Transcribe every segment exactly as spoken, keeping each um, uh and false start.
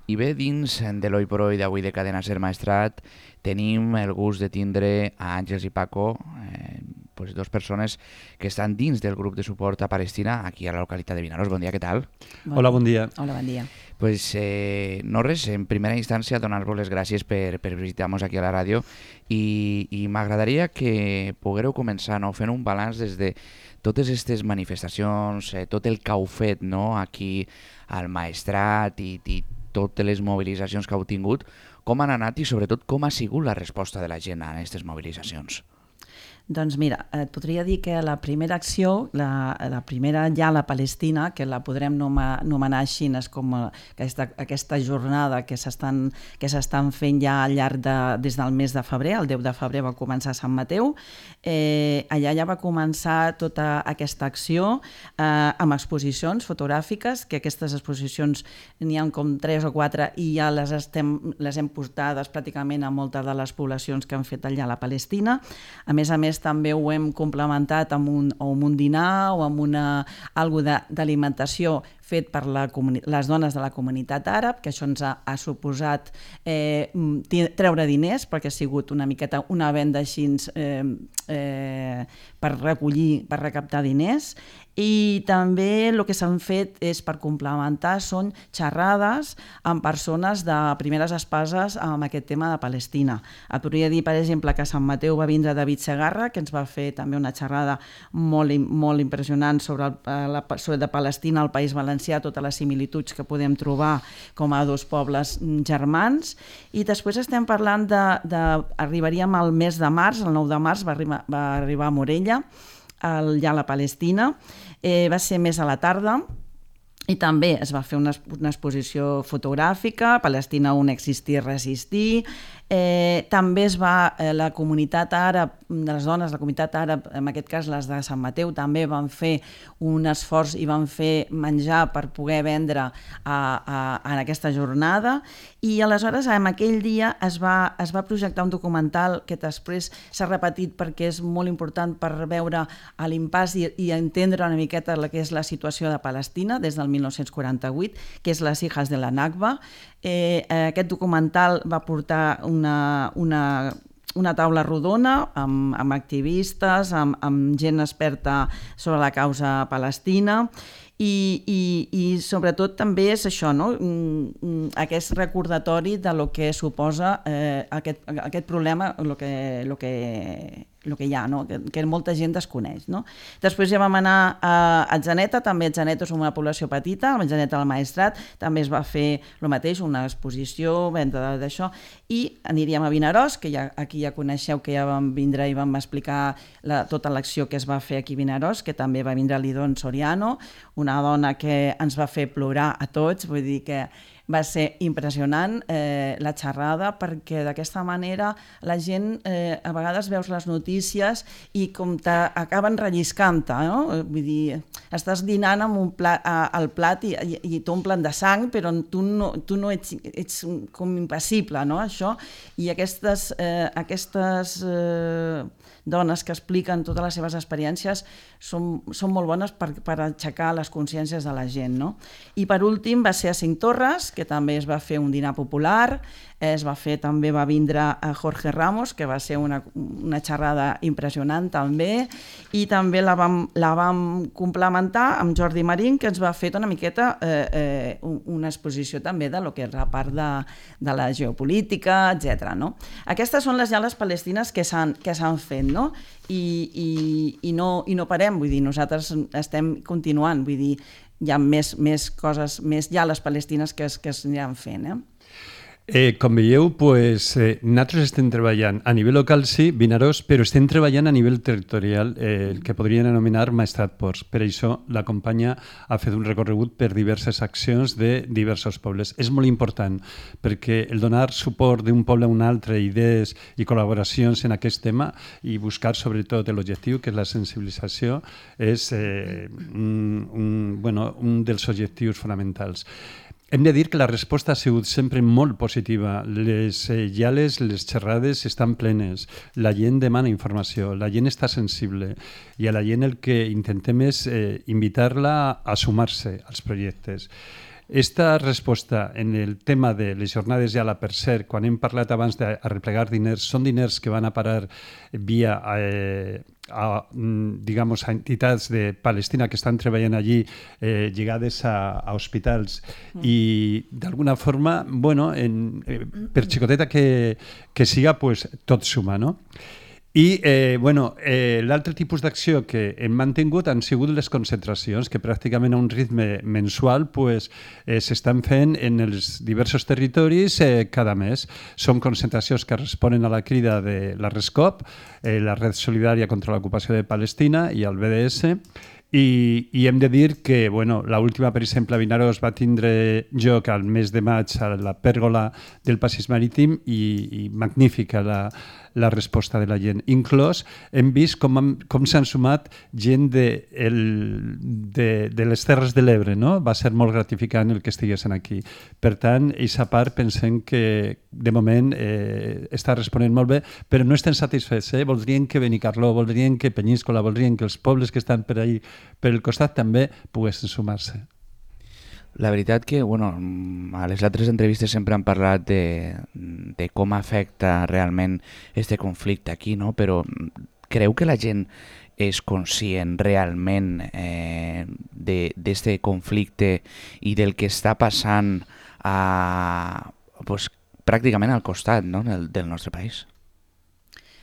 I bé, dins de l'Oi por Hoy d'avui de Cadena Ser Maestrat tenim el gust de tindre a Àngels i Paco, eh, pues dos persones que estan dins del grup de suport a Palestina aquí a la localitat de Vinaròs. Bon dia, què tal? Bon Hola, bon dia. Hola, bon dia. Pues eh, no res, en primera instància donar-vos les gràcies per, per visitar-nos aquí a la ràdio i, i m'agradaria que poguéreu començar no, fent un balanç des de totes aquestes manifestacions, eh, tot el que heu fet no, aquí al Maestrat i, i totes les mobilitzacions que heu tingut, com han anat i sobretot com ha sigut la resposta de la gent a aquestes mobilitzacions? Doncs mira, et podria dir que la primera acció, la, la primera ja la Palestina, que la podrem anomenar així, és com aquesta, aquesta jornada que s'estan que s'estan fent ja al llarg de, des del mes de febrer, el deu de febrer va començar a Sant Mateu, eh, allà ja va començar tota aquesta acció eh, amb exposicions fotogràfiques, que aquestes exposicions n'hi ha com tres o quatre i ja les, estem, les hem portades pràcticament a moltes de les poblacions que han fet allà a la Palestina. A més a més, també ho hem complementat amb un, o amb un dinar o amb una, algo d'alimentació fet per la les dones de la comunitat àrab, que això ens ha, ha suposat eh, treure diners, perquè ha sigut una miqueta una venda així eh, eh, per recollir, per recaptar diners. I també el que s'han fet és, per complementar, són xerrades amb persones de primeres espases amb aquest tema de Palestina. Et podria dir, per exemple, que a Sant Mateu va vindre David Segarra, que ens va fer també una xerrada molt, molt impressionant sobre, el, la, sobre de Palestina, el País Valencià, totes les similituds que podem trobar com a dos pobles germans. I després estem parlant de... de arribaríem al mes de març, el nou de març va arribar, va arribar a Morella, allà a la Palestina. Eh, va ser més a la tarda i també es va fer una, una exposició fotogràfica, Palestina un existir, resistir. Eh, també es va, eh, la comunitat àrab, de les dones, la comunitat àrab, en aquest cas les de Sant Mateu, també van fer un esforç i van fer menjar per poder vendre a, a, en aquesta jornada. I aleshores, en aquell dia, es va, es va projectar un documental que després s'ha repetit perquè és molt important per veure l'impàs i, i entendre una miqueta la que és la situació de Palestina des del mil nou-cents quaranta-vuit, que és Les hijas de la Nakba. Eh, aquest documental va portar una, una, una taula rodona amb, amb activistes, amb, amb gent experta sobre la causa palestina i, i, i sobretot també és això, no? Aquest recordatori de lo que suposa eh, aquest, aquest problema, lo que, lo que, el que hi ha, no? que, que molta gent desconeix. No? Després ja vam anar a Atzeneta, també Atzeneta és una població petita, a Atzeneta del Maestrat també es va fer el mateix, una exposició, venda d'això, i aniríem a Vinaròs, que ja, aquí ja coneixeu que ja vam vindre i vam explicar la, tota l'acció que es va fer aquí a Vinaròs, que també va vindre l'Idon Soriano, una dona que ens va fer plorar a tots, vull dir que va ser impressionant eh, la xerrada, perquè d'aquesta manera la gent, eh, a vegades veus les notícies i com t'acaben relliscant-te, no? Vull dir, estàs dinant amb un plat, a, al plat i, i, i t'omplen de sang, però tu no, tu no ets, ets com impassible, no? Això, i aquestes, eh, aquestes eh, dones que expliquen totes les seves experiències són, són molt bones per, per aixecar les consciències de la gent, no? I per últim va ser a Cinc Torres, que també es va fer un dinar popular, es va fer, també va vindre a Jorge Ramos, que va ser una, una xerrada impressionant també, i també la vam, la vam complementar amb Jordi Marín, que ens va fer una miqueta eh, eh, una exposició també de lo que és la part de, de la geopolítica, etcètera. No? Aquestes són les llales palestines que s'han que s'han fet, no? I, i, i, no, i no parem, vull dir, nosaltres estem continuant, vull dir, hi ha més, més coses, més llales palestines que es, que es aniran fent, eh? Eh, com veieu, pues, eh, nosaltres estem treballant a nivell local, sí, Vinaròs, però estem treballant a nivell territorial, eh, el que podrien anomenar Maestrat Ports. Per això la companya ha fet un recorregut per diverses accions de diversos pobles. És molt important, perquè el donar suport d'un poble a un altre, idees i col·laboracions en aquest tema i buscar sobretot l'objectiu, que és la sensibilització, és eh, un, un, bueno, un dels objectius fonamentals. Hem de dir que la resposta ha sigut sempre molt positiva. Les eh, llales, les xerrades estan plenes. La gent demana informació, la gent està sensible i a la gent el que intentem és eh, invitar-la a sumar-se als projectes. Esta resposta en el tema de les jornades ja a la per cert, quan hem parlat abans d'arreplegar diners, són diners que van a parar via eh, a, digamos, a entitats de Palestina que estan treballant allí eh, lligades a, a hospitals mm. i d'alguna forma, bueno, en, eh, per xicoteta que, que siga, pues, tot suma, no? I eh, bueno, eh, l'altre tipus d'acció que hem mantingut han sigut les concentracions, que pràcticament a un ritme mensual pues, eh, s'estan fent en els diversos territoris eh, cada mes. Són concentracions que responen a la crida de la RESCOP, eh, la Red Solidària contra l'Ocupació de Palestina i el B D S, I, i hem de dir que bueno, l'última, per exemple, a Vinaròs va tindre lloc al mes de maig a la pèrgola del Passeig Marítim i, i magnífica la, la resposta de la gent. Inclòs hem vist com, han, com s'han sumat gent de, el, de, de les Terres de l'Ebre, no? Va ser molt gratificant el que estiguessin aquí. Per tant, aquesta part pensem que de moment eh, està responent molt bé, però no estem satisfets. Eh? Voldrien que Benicarló, voldrien que Penyíscola, voldrien que els pobles que estan per ahí per el costat també poguessin sumar-se. La veritat que, bueno, a les altres entrevistes sempre han parlat de, de com afecta realment este conflicte aquí, no? Però creu que la gent és conscient realment eh, d'este conflicte i del que està passant a, pues, pràcticament al costat, no? del, del nostre país?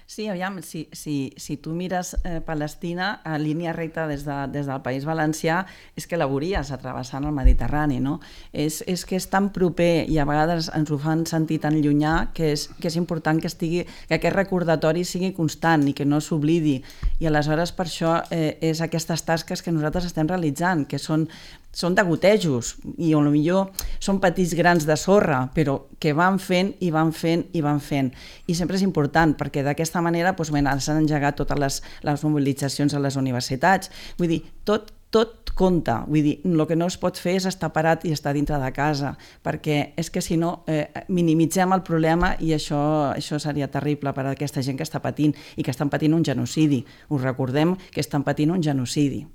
Sí, aviam, si, si, si tu mires eh, Palestina a línia recta des, de, des del País Valencià, és que la veuries travessant el Mediterrani, no? És, és que és tan proper i a vegades ens ho fan sentir tan llunyà que és, que és important que, estigui, que aquest recordatori sigui constant i que no s'oblidi. I aleshores per això eh, és aquestes tasques que nosaltres estem realitzant, que són són de gotejos i potser són petits grans de sorra, però que van fent i van fent i van fent. I sempre és important perquè d'aquesta manera doncs, bueno, s'han engegat totes les, les mobilitzacions a les universitats. Vull dir, tot, tot compta. Vull dir, el que no es pot fer és estar parat i estar dintre de casa, perquè és que si no eh, minimitzem el problema i això, això seria terrible per a aquesta gent que està patint i que estan patint un genocidi. Us recordem que estan patint un genocidi.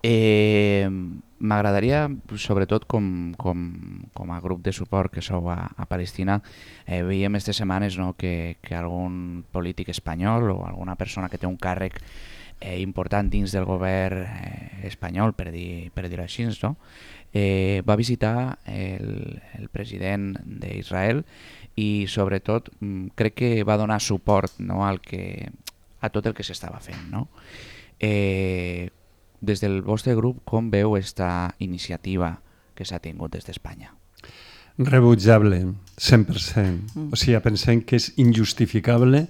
Eh, M'agradaria, sobretot com, com, com a grup de suport que sou a, a Palestina, eh, veiem aquestes setmanes no, que, que algun polític espanyol o alguna persona que té un càrrec eh, important dins del govern eh, espanyol, per dir, per dir-ho així, no? eh, va visitar el, el president d'Israel i sobretot crec que va donar suport no, al que, a tot el que s'estava fent. No? Eh, Des del vostre grup, com veu aquesta iniciativa que s'ha tingut des d'Espanya? Rebutjable, cent per cent. Mm. O sigui, pensem que és injustificable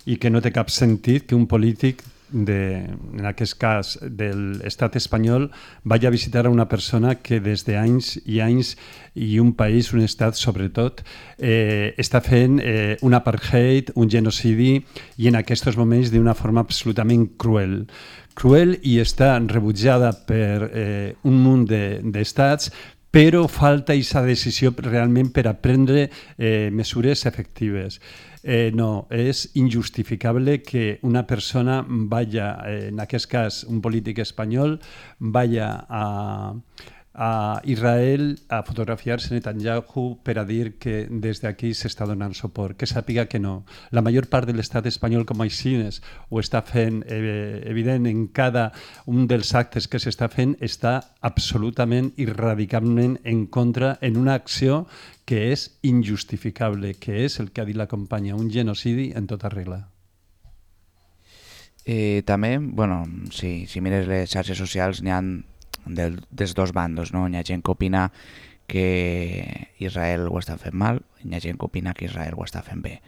i que no té cap sentit que un polític, de, en aquest cas de l'estat espanyol, vagi a visitar a una persona que des d'anys i anys i un país, un estat sobretot, eh, està fent eh, un apartheid, un genocidi i en aquests moments d'una forma absolutament cruel. Cruel i està rebutjada per eh, un munt d'estats, però falta aquesta decisió realment per a prendre eh, mesures efectives. Eh, no, és injustificable que una persona vaya, eh, en aquest cas un polític espanyol, vaya a, a Israel a fotografiar-se Netanyahu per a dir que des d'aquí s'està donant suport, que sàpiga que no. La major part de l'estat espanyol, com així ho està fent eh, evident en cada un dels actes que s'està fent, està absolutament i radicalment en contra en una acció que és injustificable, que és el que ha dit la companya, un genocidi en tota regla. Eh, també, bueno, si, si mires les xarxes socials, n'hi ha del, dels dos bandos, no? Hi ha gent que opina que Israel ho està fent mal, hi ha gent que opina que Israel ho està fent bé.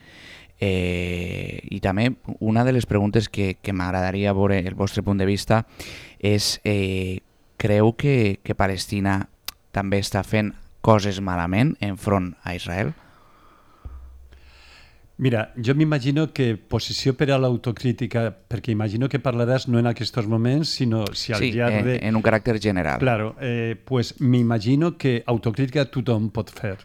Eh, I també una de les preguntes que, que m'agradaria veure el vostre punt de vista és, eh, creu que, que Palestina també està fent coses malament enfront a Israel? Mira, jo m'imagino que posició per a l'autocrítica, perquè imagino que parlaràs no en aquests moments, sinó si al sí, llarg de... Sí, en un caràcter general. Claro, eh, pues m'imagino que autocrítica tothom pot fer.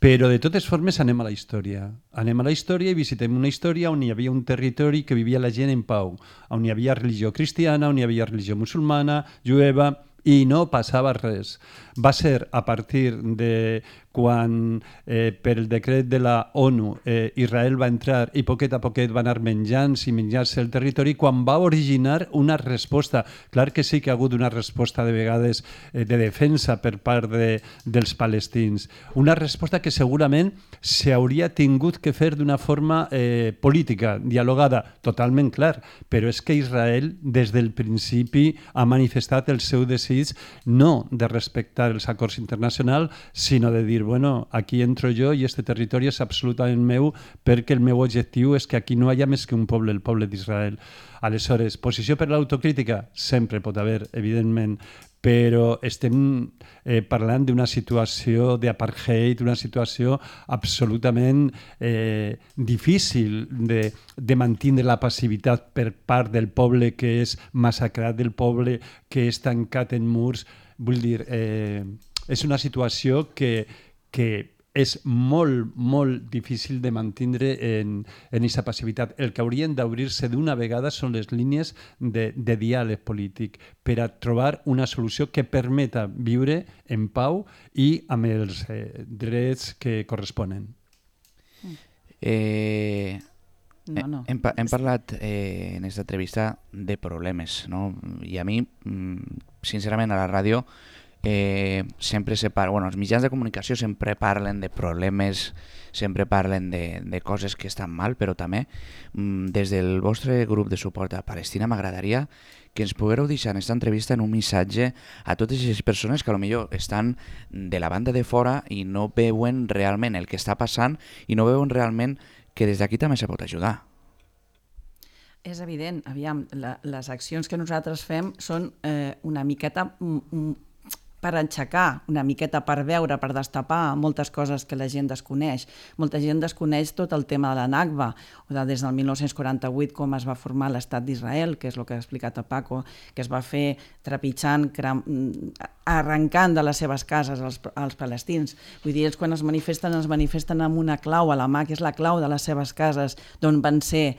Però de totes formes anem a la història. Anem a la història i visitem una història on hi havia un territori que vivia la gent en pau, on hi havia religió cristiana, on hi havia religió musulmana, jueva, i no passava res. Va ser a partir de quan eh, per el decret de la ONU eh, Israel va entrar i poquet a poquet va anar menjant-se i menjar-se el territori, quan va originar una resposta. Clar que sí que ha hagut una resposta de vegades eh, de defensa per part de, dels palestins. Una resposta que segurament s'hauria tingut que fer d'una forma eh, política, dialogada, totalment clar, però és que Israel des del principi ha manifestat el seu desig no de respectar els acords internacionals, sinó de dir, bueno, aquí entro jo i este territori és absolutament meu perquè el meu objectiu és que aquí no hi ha més que un poble, el poble d'Israel. Aleshores, posició per l'autocrítica? Sempre pot haver, evidentment, però estem eh, parlant d'una situació d'apartheid, una situació absolutament eh, difícil de, de mantenir la passivitat per part del poble que és massacrat, del poble que és tancat en murs. Vull dir, eh, és una situació que, que és molt, molt difícil de mantenir en aquesta passivitat. El que haurien d'obrir-se d'una vegada són les línies de, de diàleg polític per a trobar una solució que permeta viure en pau i amb els eh, drets que corresponen. Eh, no, no. Hem, hem parlat eh, en aquesta entrevista de problemes, no? I a mi, sincerament, a la ràdio Eh, sempre se parla, bueno, els mitjans de comunicació sempre parlen de problemes, sempre parlen de, de coses que estan mal, però també mm, des del vostre grup de suport a Palestina m'agradaria que ens poguéreu deixar en aquesta entrevista en un missatge a totes aquestes persones que potser estan de la banda de fora i no veuen realment el que està passant i no veuen realment que des d'aquí també se pot ajudar. És evident, aviam, la, les accions que nosaltres fem són eh, una miqueta mm, per enxacar, una miqueta per veure, per destapar moltes coses que la gent desconeix. Molta gent desconeix tot el tema de la Nakba, o de, des del mil nou-cents quaranta-vuit com es va formar l'estat d'Israel, que és el que ha explicat a Paco, que es va fer trepitjant, cram, arrencant de les seves cases als, als palestins. Vull dir, ells quan es manifesten, es manifesten amb una clau a la mà, que és la clau de les seves cases, d'on van ser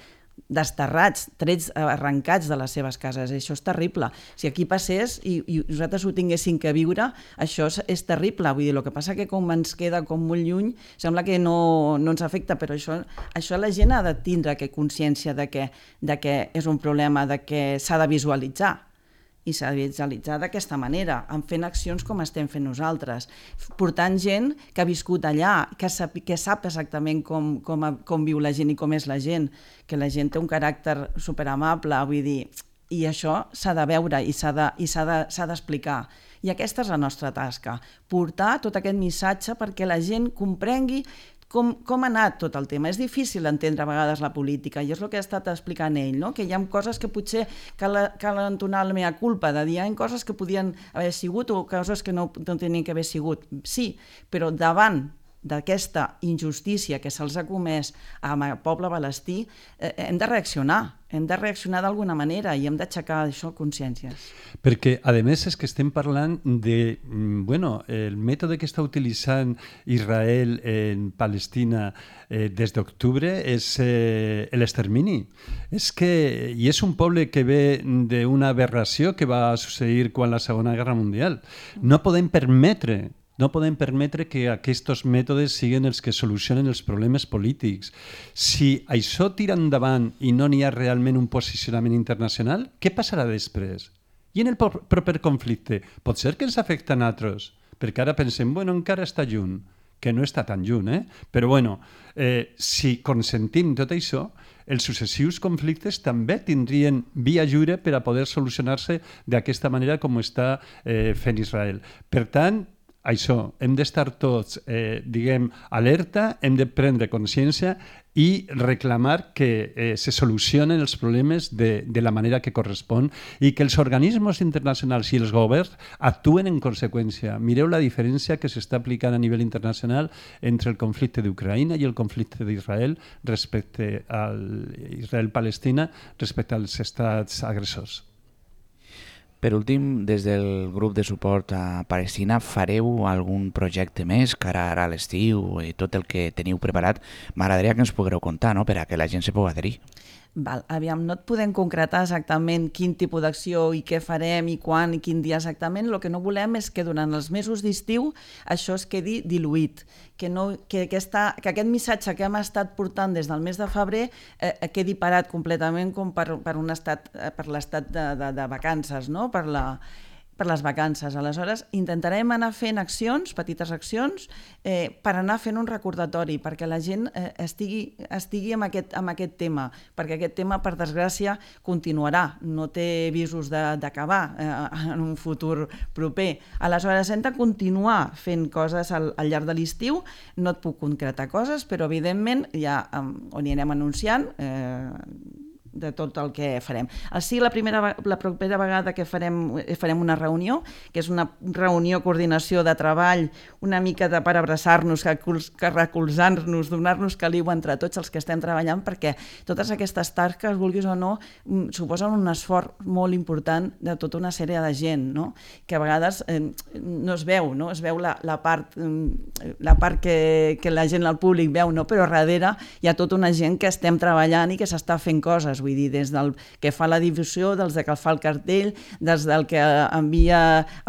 desterrats, trets arrencats de les seves cases. Això és terrible. Si aquí passés i, i nosaltres ho tinguéssim que viure, això és, és terrible. Vull dir, el que passa que com ens queda com molt lluny, sembla que no, no ens afecta, però això, això la gent ha de tindre que consciència de que, de que és un problema, de que s'ha de visualitzar. I s'ha de visualitzar d'aquesta manera, en fent accions com estem fent nosaltres, portant gent que ha viscut allà, que sap, que sap exactament com, com, com viu la gent i com és la gent, que la gent té un caràcter superamable, vull dir, i això s'ha de veure i s'ha de, i s'ha de, s'ha d'explicar. I aquesta és la nostra tasca, portar tot aquest missatge perquè la gent comprengui Com, com ha anat tot el tema. És difícil entendre a vegades la política i és el que ha estat explicant ell, no? Que hi ha coses que potser cal, cal entonar la meva culpa, de dir hi ha coses que podien haver sigut o coses que no, no tenien que haver sigut. Sí, però davant d'aquesta injustícia que se'ls ha comès amb el poble palestí, eh, hem de reaccionar, hem de reaccionar d'alguna manera i hem d'aixecar això consciències. Perquè, a més, és que estem parlant de, bueno, el mètode que està utilitzant Israel en Palestina eh, des d'octubre és eh, l'extermini. És que, i és un poble que ve d'una aberració que va succeir quan la Segona Guerra Mundial. No podem permetre No podem permetre que aquests mètodes siguin els que solucionen els problemes polítics. Si això tira endavant i no n'hi ha realment un posicionament internacional, què passarà després? I en el proper conflicte? Pot ser que ens afecta a nosaltres, perquè ara pensem, bueno, encara està lluny, que no està tan lluny, eh? Però bueno, eh, si consentim tot això, els successius conflictes també tindrien via lliure per a poder solucionar-se d'aquesta manera com està eh, fent Israel. Per tant, això, hem d'estar tots, eh, diguem, alerta, hem de prendre consciència i reclamar que eh, se solucionen els problemes de, de la manera que correspon i que els organismes internacionals i els governs actuen en conseqüència. Mireu la diferència que s'està aplicant a nivell internacional entre el conflicte d'Ucraïna i el conflicte d'Israel respecte a Israel-Palestina respecte als estats agressors. Per últim, des del grup de suport a Palestina, fareu algun projecte més cara ara a l'estiu i tot el que teniu preparat? M'agradaria que ens poguereu contar, no?, per a que la gent se pugui adherir. Val, aviam, no et podem concretar exactament quin tipus d'acció i què farem i quan i quin dia exactament. El que no volem és que durant els mesos d'estiu això es quedi diluït, que, no, que, aquesta, que aquest missatge que hem estat portant des del mes de febrer eh, quedi parat completament com per, per, un estat, per l'estat de, de, de vacances, no? per la... per les vacances. Aleshores, intentarem anar fent accions, petites accions, eh, per anar fent un recordatori, perquè la gent eh, estigui, estigui amb, aquest, amb aquest tema, perquè aquest tema, per desgràcia, continuarà, no té visos d'acabar eh, en un futur proper. Aleshores, hem de continuar fent coses al, al llarg de l'estiu, no et puc concretar coses, però evidentment ja um, on hi anem anunciant eh, de tot el que farem. Sí, la, primera, la propera vegada que farem, farem una reunió, que és una reunió, coordinació de treball, una mica de per abraçar-nos, que, que recolzar-nos, donar-nos caliu entre tots els que estem treballant, perquè totes aquestes tasques, vulguis o no, suposen un esforç molt important de tota una sèrie de gent, no? Que a vegades eh, no es veu, no? Es veu la, la part, la part que, que la gent al públic veu, no? Però darrere hi ha tota una gent que estem treballant i que s'està fent coses, vull dir, des del que fa la difusió, dels que fa el cartell, des del que envia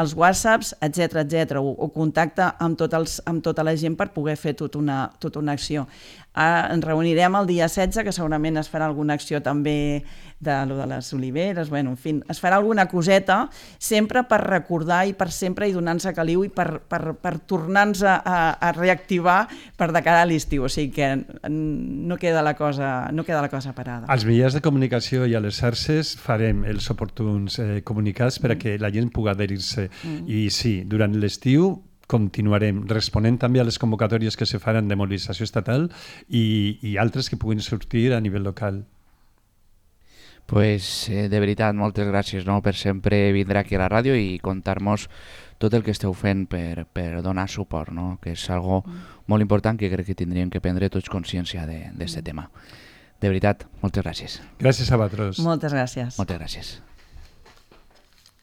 els whatsapps, etcètera, etcètera, o, o contacta amb, tot els, amb tota la gent per poder fer tota una, tota una acció. Ah, ens reunirem el dia setze, que segurament es farà alguna acció també de, lo de les oliveres, bueno, en fi, es farà alguna coseta, sempre per recordar i per sempre i donar-nos caliu i per, per, per tornar-nos a, a, a reactivar per de cara a l'estiu, o sigui que no queda la cosa, no queda la cosa parada. Als mitjans de comunicació i a les xarxes farem els oportuns eh, comunicats per a que la gent pugui adherir-se. Mm. I sí, durant l'estiu continuarem responent també a les convocatòries que se faran de mobilització estatal i, i altres que puguin sortir a nivell local. Pues, eh, de veritat, moltes gràcies, no?, per sempre vindre aquí a la ràdio i contar-nos tot el que esteu fent per, per donar suport, no?, que és algo mm. molt important que crec que tindríem que prendre tots consciència d'aquest mm. tema. De veritat, moltes gràcies. Gràcies a vosaltres. Moltes gràcies. Moltes gràcies.